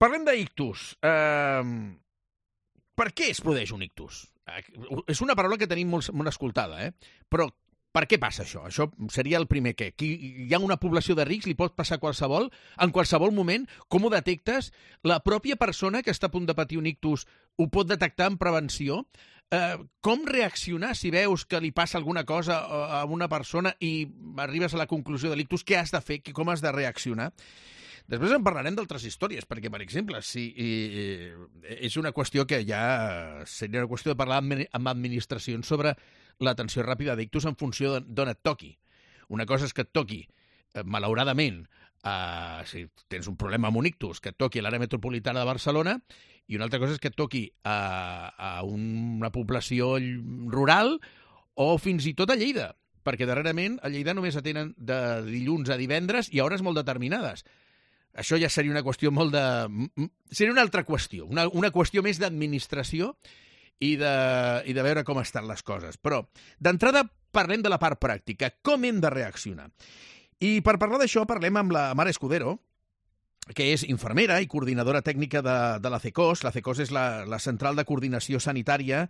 Parlem d'ictus. Per què es produeix un ictus? És una paraula que tenim molt escoltada, però per què passa això? Això seria el primer què. Hi ha una població de rics, li pot passar qualsevol, en qualsevol moment. Com ho detectes? La pròpia persona que està a punt de patir un ictus ho pot detectar en prevenció? Com reaccionar si veus que li passa alguna cosa a una persona i arribes a la conclusió de l'ictus? Què has de fer? Com has de reaccionar? Després en parlarem d'altres històries, perquè, per exemple, és una qüestió que ja seria una qüestió de parlar amb administracions sobre l'atenció ràpida d'ictus en funció d'on et toqui. Una cosa és que et toqui, malauradament, si tens un problema amb un ictus, que et toqui a l'àrea metropolitana de Barcelona, i una altra cosa és que et toqui a una població rural o fins i tot a Lleida, perquè darrerament a Lleida només atenen de dilluns a divendres i a hores molt determinades. Això ja seria una qüestió seria una altra qüestió, una qüestió més d'administració i de veure com estan les coses. Però, d'entrada, parlem de la part pràctica. Com hem de reaccionar? I per parlar d'això parlem amb la Mar Escudero, que és infermera i coordinadora tècnica de la CECOS. La CECOS és la Central de Coordinació Sanitària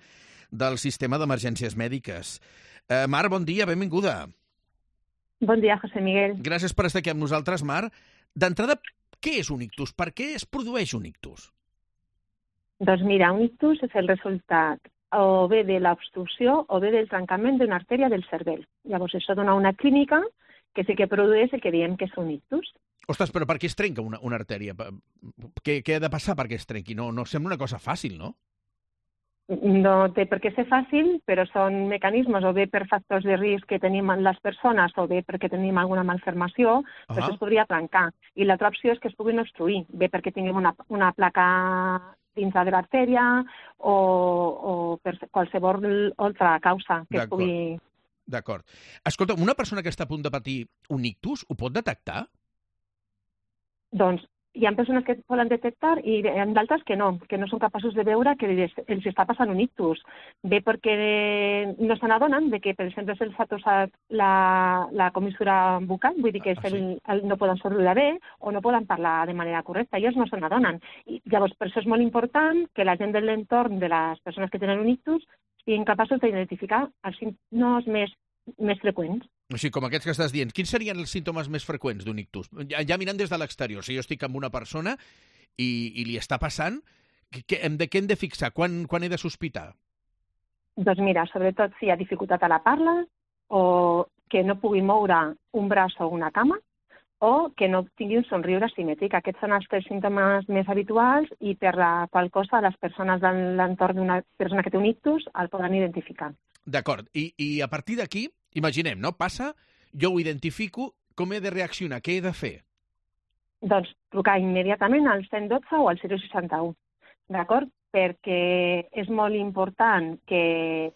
del Sistema d'Emergències Mèdiques. Mar, bon dia, benvinguda. Bon dia, José Miguel. Gràcies per estar aquí amb nosaltres, Mar. D'entrada, què és un ictus? Per què es produeix un ictus? Doncs mira, un ictus és el resultat o bé de l'obstrucció o bé del trencament d'una artèria del cervell. Llavors, això dona una clínica que sí que produeix el que diem que és un ictus. Ostres, però per què es trenca una artèria? Què ha de passar perquè es trenqui? No sembla una cosa fàcil, no? No té per què ser fàcil, però són mecanismes o bé per factors de risc que tenim les persones o bé perquè tenim alguna malformació, doncs es podria trencar. I l'altra opció és que es puguin obstruir, bé perquè tinguem una placa dins de l'artèria o per qualsevol altra causa que es pugui... D'acord. Escolta, una persona que està a punt de patir un ictus ho pot detectar? Doncs hi ha persones que poden detectar i hi ha d'altres que no són capaços de veure que els està passant un ictus. Bé perquè no se n'adonen de que, per exemple, se'ls ha tossat la comissura bucal, vull dir que no poden sorrir bé o no poden parlar de manera correcta. Ells no se n'adonen. Llavors, per això és molt important que la gent de l'entorn de les persones que tenen un ictus siguin capaços d'identificar els símptomes més freqüents. Així com aquests que estàs dient, quins serien els símptomes més freqüents d'un ictus? Ja mirant des de l'exterior, si jo estic amb una persona i li està passant, què hem de fixar? Quan he de sospitar? Doncs mira, sobretot si hi ha dificultat a la parla o que no pugui moure un braç o una cama o que no tingui un somriure simètric. Aquests són els tres símptomes més habituals i per la qual cosa les persones de l'entorn d'una persona que té un ictus el poden identificar. D'acord. I a partir d'aquí, imaginem, no? Passa, jo ho identifico, com he de reaccionar? Què he de fer? Doncs trucar immediatament al 112 o al 061, d'acord? Perquè és molt important que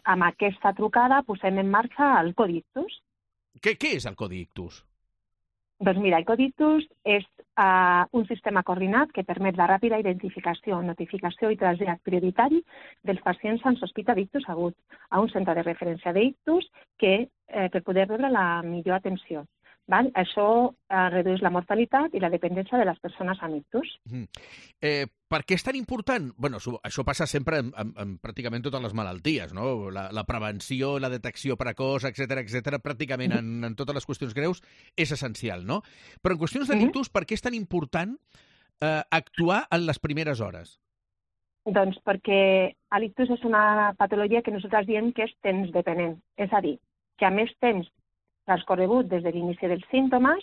amb aquesta trucada posem en marxa el codi ictus. Què és el codi ictus? Doncs mira, el codi ictus és un sistema coordinat que permet la ràpida identificació, notificació i trasllat prioritari dels pacients amb sospita d'ictus agut a un centre de referència d'ictus per poder rebre la millor atenció. Val? Això redueix la mortalitat i la dependència de les persones amb ictus. Per què és tan important? Bueno, això passa sempre en pràcticament totes les malalties, no? La prevenció, la detecció precoç, etc., pràcticament en totes les qüestions greus és essencial, no? Però en qüestions de l'ictus, per què és tan important actuar en les primeres hores? Doncs perquè l'ictus és una patologia que nosaltres diem que és temps dependent. És a dir, que a més temps transcorregut des de l'inici dels símptomes,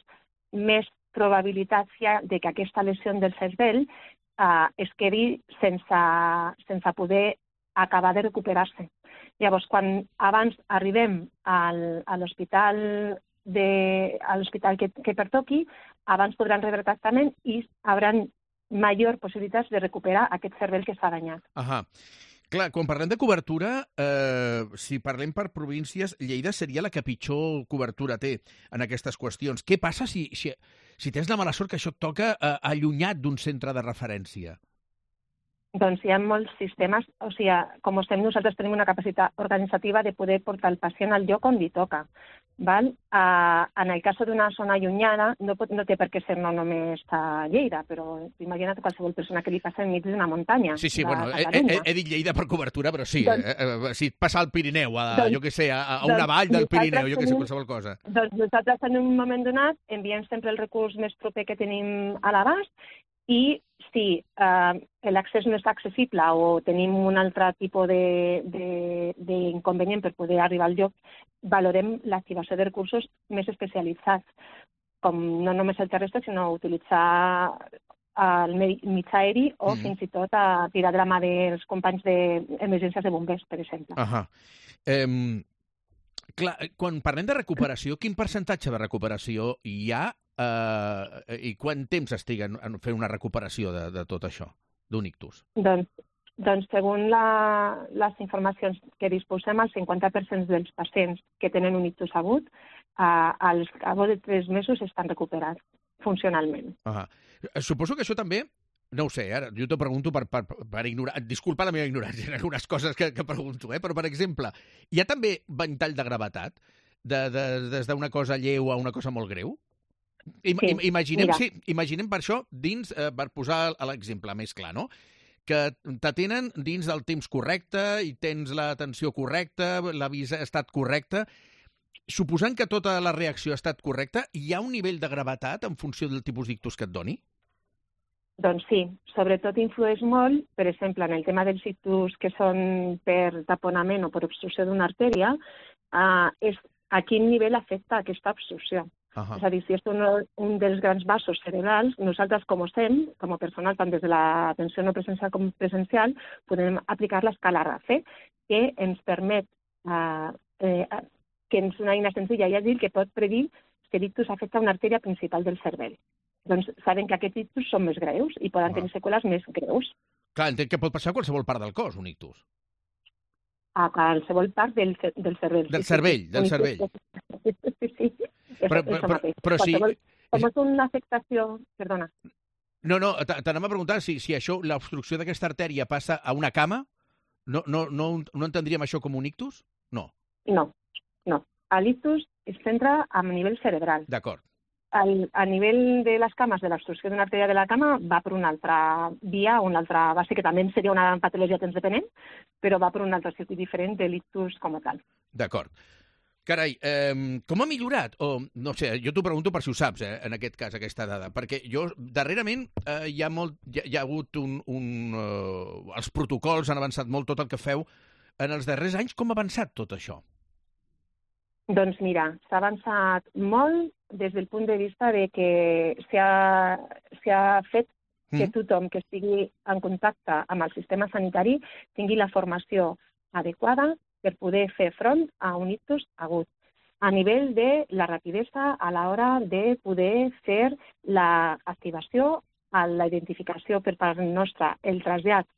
més probabilitats hi ha de que aquesta lesió del cervell es quedi sense poder acabar de recuperar-se. Llavors, quan abans arribem a l'hospital que pertoqui, abans podran rebre tractament i hauran major possibilitats de recuperar aquest cervell que s'ha danyat. Clar, quan parlem de cobertura, si parlem per províncies, Lleida seria la que pitjor cobertura té en aquestes qüestions. Què passa si tens la mala sort que això et toca allunyat d'un centre de referència? Doncs hi ha molts sistemes, o sigui, com estem nosaltres tenim una capacitat organitzativa de poder portar el pacient al lloc on li toca. Val? En el cas d'una zona llunyana, no té per què ser no només a Lleida, però imagina't qualsevol persona que li passa enmig d'una muntanya. Sí, bueno, he dit Lleida per cobertura, però sí, si et passa al Pirineu, jo què sé, a una vall del Pirineu, jo què sé, qualsevol cosa. Doncs nosaltres en un moment donat enviem sempre el recurs més proper que tenim a l'abast i si l'accés no és accessible o tenim un altre tipus d'inconvenient per poder arribar al lloc, valorem l'activació de recursos més especialitzats, com no només el terrestre, sinó utilitzar el mitjà aeri o fins i tot a tirar de la mà dels companys d'emergències de bombers, per exemple. Clar, quan parlem de recuperació, quin percentatge de recuperació hi ha i quant temps estiguen fent una recuperació de tot això, d'un ictus? Doncs segons les informacions que disposem, el 50% dels pacients que tenen un ictus agut, al cap de 3 mesos estan recuperats funcionalment. Suposo que això també, no ho sé, ara jo t'ho pregunto per ignorar, disculpa la meva ignorància en algunes coses que pregunto, però per exemple, hi ha també ventall de gravetat des d'una cosa lleu a una cosa molt greu? Imaginem per això dins, per posar l'exemple més clar, no? Que t'atenen dins del temps correcte i tens l'atenció correcta, l'avís ha estat correcte. Suposant que tota la reacció ha estat correcta, hi ha un nivell de gravetat en funció del tipus d'ictus que et doni? Doncs sí, sobretot influeix molt, per exemple, en el tema dels ictus que són per taponament o per obstrucció d'una artèria, és a quin nivell afecta aquesta obstrucció. És a dir, si és un dels grans vasos cerebrals, nosaltres com a personal, tant des de l'atenció no presencial com presencial, podem aplicar l'escala RACE, que ens permet, que és una eina senzilla i àgil que pot predir si l'ictus afecta una artèria principal del cervell. Doncs sabem que aquests ictus són més greus i poden tenir seqüeles més greus. Clar, entenc que pot passar a qualsevol part del cos, un ictus. A qualsevol part del cervell. Del cervell. Sí. Però si... Com és una afectació... Perdona. No, t'anem a preguntar si això, l'obstrucció d'aquesta artèria passa a una cama, no entendríem això com un ictus? No. No. L'ictus es centra a nivell cerebral. D'acord. A nivell de les cames, de l'obstrucció d'una artèria de la cama, va per una altra via, una altra base, que també seria una patologia temps dependent, però va per un altre circuit diferent de l'ictus com a tal. D'acord. Carai, com ha millorat? O, no sé, jo t'ho pregunto per si ho saps, en aquest cas, aquesta dada. Perquè jo, darrerament, hi ha hagut els protocols han avançat molt, tot el que feu. En els darrers anys, com ha avançat tot això? Doncs mira, s'ha avançat molt des del punt de vista de que s'ha fet que tothom que estigui en contacte amb el sistema sanitari tingui la formació adequada per poder fer front a un ictus agut, a nivell de la rapidesa a l'hora de poder fer l'activació, la identificació per part nostra, el trasllat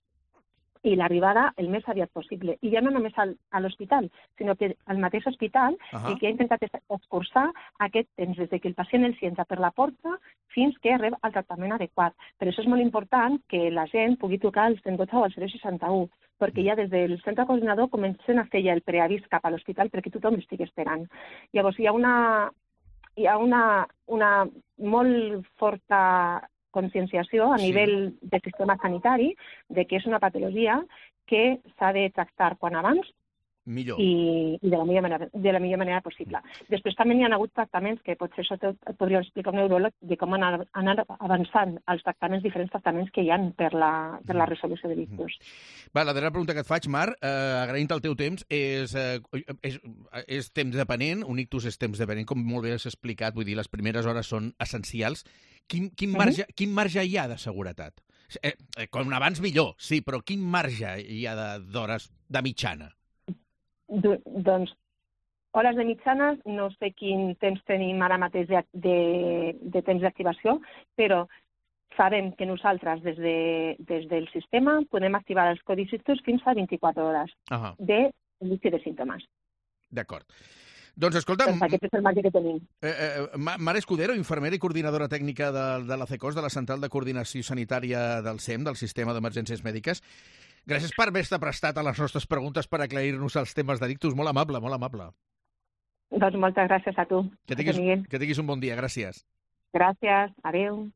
i l'arribada el més aviat possible. I ja no només a l'hospital, sinó que al mateix hospital el que ha intentat és escurçar aquest temps des que el pacient el entra per la porta fins que rep el tractament adequat. Per això és molt important que la gent pugui trucar al 112 o al 061, perquè ja des del centre coordinador comencen a fer ja el preavís cap a l'hospital perquè tothom estigui esperant. Llavors hi ha una molt forta conscienciació a nivell del sistema sanitari de que és una patologia que s'ha de tractar quan abans i de la millor manera possible. Després també hi ha hagut tractaments que potser això et podria explicar un neuròleg de com han anat avançant els diferents tractaments que hi ha per la resolució de l'ictus. La darrera pregunta que et faig, Mar, agraint el teu temps, és temps dependent, un ictus és temps dependent, com molt bé has explicat, vull dir, les primeres hores són essencials. Quin marge hi ha de seguretat? Com abans millor, sí, però quin marge hi ha d'hores de mitjana? Doncs, hores de mitjana, no sé quin temps tenim ara mateix de temps d'activació, però sabem que nosaltres, des del sistema, podem activar els codis ictus fins a 24 hores de l'inici de símptomes. D'acord. Doncs escolta, Doncs aquest és el marge que tenim. Mare Escudero, infermera i coordinadora tècnica de la CECOS, de la Central de Coordinació Sanitària del SEM, del Sistema d'Emergències Mèdiques, gràcies per haver-te prestat a les nostres preguntes per aclarir-nos els temes d'ictus. Molt amable, molt amable. Doncs moltes gràcies a tu. Que tinguis un bon dia, gràcies. Gràcies, adeu.